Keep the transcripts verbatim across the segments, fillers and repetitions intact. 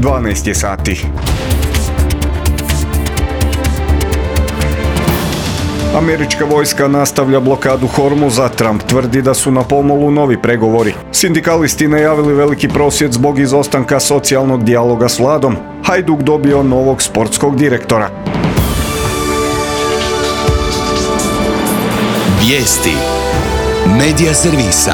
dvanaest je sati. Američka vojska nastavlja blokadu Hormuza, Trump tvrdi da su na pomolu novi pregovori. Sindikalisti najavili veliki prosvjed zbog izostanka socijalnog dijaloga s vladom. Hajduk dobio novog sportskog direktora. Vijesti Medija servisa.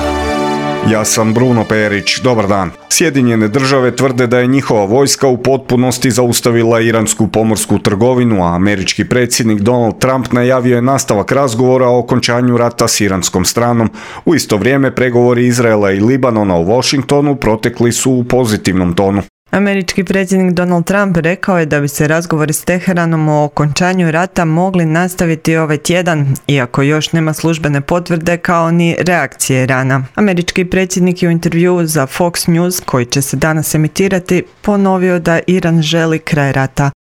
Ja sam Bruno Perić, dobar dan. Sjedinjene države tvrde da je njihova vojska u potpunosti zaustavila iransku pomorsku trgovinu, a američki predsjednik Donald Trump najavio je nastavak razgovora o okončanju rata s iranskom stranom. U isto vrijeme pregovori Izraela i Libanona u Washingtonu protekli su u pozitivnom tonu. Američki predsjednik Donald Trump rekao je da bi se razgovori s Teheranom o okončanju rata mogli nastaviti ovaj tjedan, iako još nema službene potvrde kao ni reakcije Irana. Američki predsjednik je u intervjuu za Fox News, koji će se danas emitirati, ponovio da Iran želi kraj rata.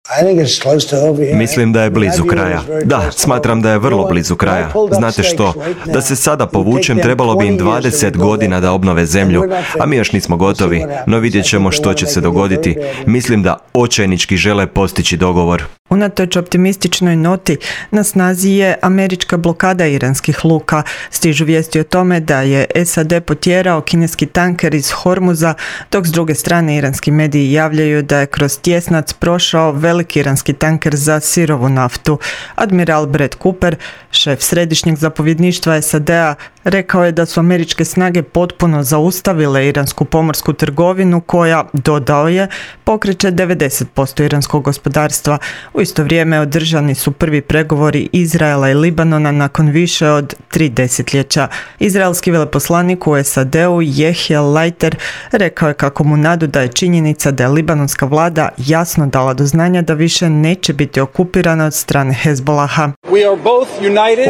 Mislim da je blizu kraja. Da, smatram da je vrlo blizu kraja. Znate što? Da se sada povučem, trebalo bi im dvadeset godina da obnove zemlju, a mi još nismo gotovi, no vidjet ćemo što će se dogoditi. Mislim da očajnički žele postići dogovor. Unatoč optimističnoj noti, na snazi je američka blokada iranskih luka. Stižu vijesti o tome da je S A D potjerao kineski tanker iz Hormuza, dok s druge strane iranski mediji javljaju da je kroz tjesnac prošao veliki iranski tanker za sirovu naftu. Admiral Brett Cooper, šef središnjeg zapovjedništva S A D-a, rekao je da su američke snage potpuno zaustavile iransku pomorsku trgovinu koja, dodao je, pokreće devedeset posto iranskog gospodarstva. U isto vrijeme održani su prvi pregovori Izraela i Libanona nakon više od tri desetljeća. Izraelski veleposlanik u S A D-u Jehiel Leiter rekao je kako mu nadu da je činjenica da je libanonska vlada jasno dala do znanja da više neće biti okupirana od strane Hezbolaha.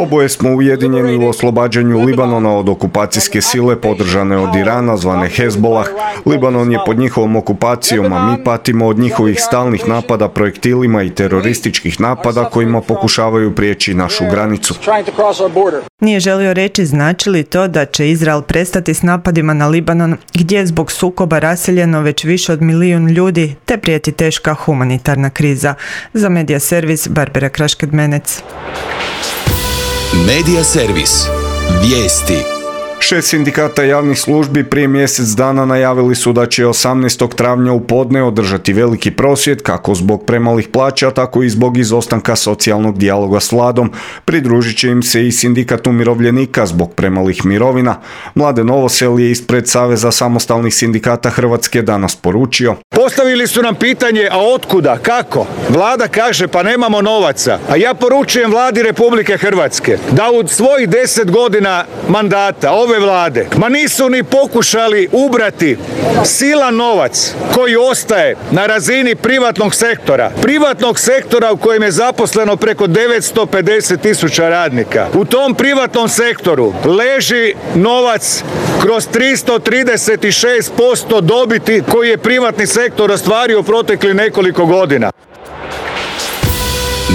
Oboje smo ujedinjeni u oslobađanju Libanona od okupacijske sile podržane od Irana zvane Hezbolah. Libanon je pod njihovom okupacijom, a mi patimo od njihovih stalnih napada projektilima i terorističkih napada kojima pokušavaju prijeći našu granicu. Nije želio reći znači li to da će Izrael prestati s napadima na Libanon, gdje je zbog sukoba raseljeno već više od milijun ljudi, te prijeti teška humanitarna kriza. Za Medija servis Barbara Krašked-Menec. Medija servis. Vijesti. Šest sindikata javnih službi prije mjesec dana najavili su da će osamnaestog travnja u podne održati veliki prosvjed kako zbog premalih plaća, tako i zbog izostanka socijalnog dijaloga s vladom. Pridružit će im se i sindikat umirovljenika zbog premalih mirovina. Mladen Novosel je ispred Saveza samostalnih sindikata Hrvatske danas poručio: Postavili su nam pitanje, a otkuda, kako? Vlada kaže pa nemamo novaca, a ja poručujem vladi Republike Hrvatske da u svojih deset godina mandata ove vlade, ma nisu ni pokušali ubrati silan novac koji ostaje na razini privatnog sektora. Privatnog sektora u kojem je zaposleno preko devetsto pedeset tisuća radnika. U tom privatnom sektoru leži novac kroz tristo trideset šest posto dobiti koji je privatni sektor ostvario protekli nekoliko godina.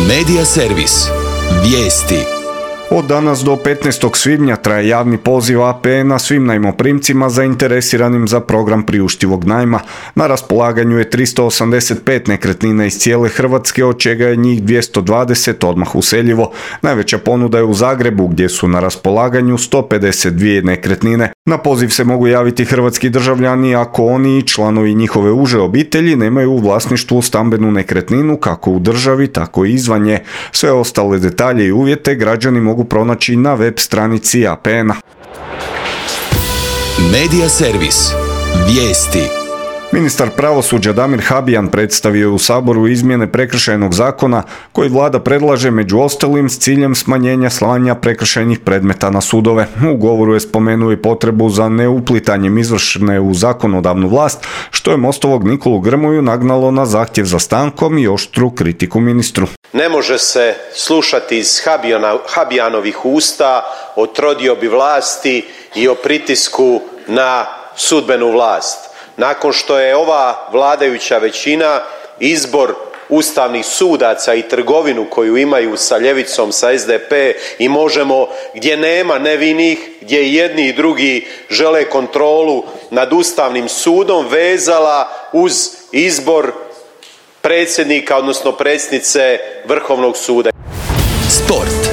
Medija servis. Vijesti. Od danas do petnaestog svibnja traje javni poziv A P N-a svim najmoprimcima zainteresiranim za program priuštivog najma. Na raspolaganju je tristo osamdeset pet nekretnina iz cijele Hrvatske, od čega je njih dvjesto dvadeset odmah useljivo. Najveća ponuda je u Zagrebu, gdje su na raspolaganju sto pedeset dvije nekretnine. Na poziv se mogu javiti hrvatski državljani ako oni i članovi njihove uže obitelji nemaju u vlasništvu stambenu nekretninu kako u državi, tako i izvan nje. Sve ostale detalje i uvjete građani mogu pronaći na web stranici A P N-a. Medija servis. Vijesti. Ministar pravosuđa Damir Habijan predstavio je u Saboru izmjene prekršajnog zakona koji vlada predlaže među ostalim s ciljem smanjenja slanja prekršajnih predmeta na sudove. U govoru je spomenuo i potrebu za neuplitanjem izvršne u zakonodavnu vlast, što je Mostovog Nikolu Grmoju nagnalo na zahtjev za stankom i oštru kritiku ministru. Ne može se slušati iz Habijana, Habijanovih usta o trodiobi vlasti i o pritisku na sudbenu vlast. Nakon što je ova vladajuća većina izbor ustavnih sudaca i trgovinu koju imaju sa ljevicom, sa S D P i Možemo, gdje nema nevinih, gdje i jedni i drugi žele kontrolu nad Ustavnim sudom, vezala uz izbor predsjednika, odnosno predsjednice Vrhovnog suda. Sport.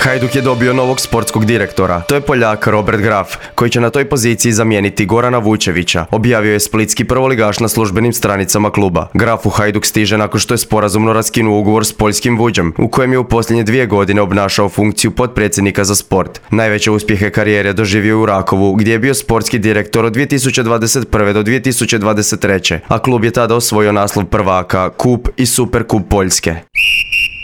Hajduk je dobio novog sportskog direktora. To je Poljak Robert Graf, koji će na toj poziciji zamijeniti Gorana Vučevića, objavio je splitski prvoligaš na službenim stranicama kluba. Graf u Hajduk stiže nakon što je sporazumno raskinuo ugovor s poljskim Vuđem, u kojem je u posljednje dvije godine obnašao funkciju potpredsjednika za sport. Najveće uspjehe karijere doživio u Rakovu, gdje je bio sportski direktor od dvije tisuće dvadeset prve do dvije tisuće dvadeset treće, a klub je tada osvojio naslov prvaka, kup i superkup Poljske.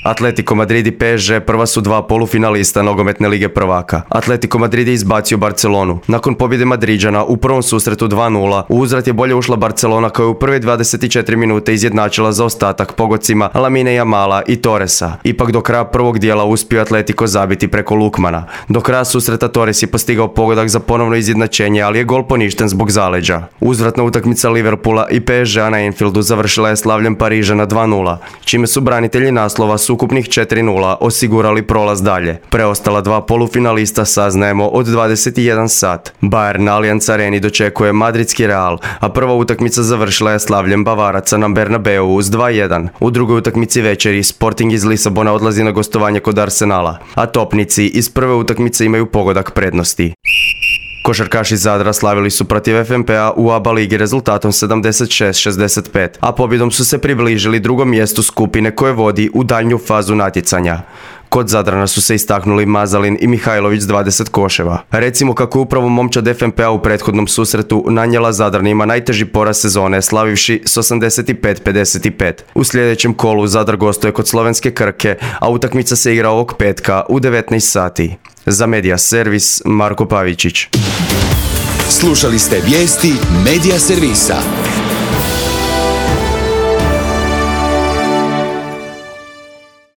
Atletico Madrid i P S G prva su dva polufinalista nogometne lige prvaka. Atletico Madrid je izbacio Barcelonu. Nakon pobjede Madriđana u prvom susretu dva nula, u uzvrat je bolje ušla Barcelona koja je u prve dvadeset četiri minute izjednačila zaostatak pogodcima Lamine Jamala i Torresa. Ipak do kraja prvog dijela uspio Atletico zabiti preko Lukmana. Do kraja susreta Torres je postigao pogodak za ponovno izjednačenje, ali je gol poništen zbog zaleđa. Uzvratna utakmica Liverpoola i P S G-a na Anfieldu završila je slavljem Parižana dva nula, čime su branitelji naslova s ukupnih četiri nula osigurali prolaz dalje. Preostala dva polufinalista saznajemo od dvadeset jedan sat. Bayern na Allianz Areni dočekuje madridski Real, a prva utakmica završila je slavljem Bavaraca na Bernabeu s dva jedan. U drugoj utakmici večeri Sporting iz Lisabona odlazi na gostovanje kod Arsenala, a topnici iz prve utakmice imaju pogodak prednosti. Košarkaši Zadra slavili su protiv F N P-a u A B A ligi rezultatom sedamdeset šest šezdeset pet, a pobjedom su se približili drugom mjestu skupine koje vodi u daljnju fazu natjecanja. Kod Zadrana su se istaknuli Mazalin i Mihajlović s dvadeset koševa. Recimo kako je upravo momčad F N P-a u prethodnom susretu nanijela Zadranima najteži poraz sezone, slavivši s osamdeset pet pedeset pet. U sljedećem kolu Zadar gostuje kod slovenske Krke, a utakmica se igra ovog petka u devetnaest sati. Za Media Servis, Marko Pavičić. Slušali ste vijesti Media Servisa.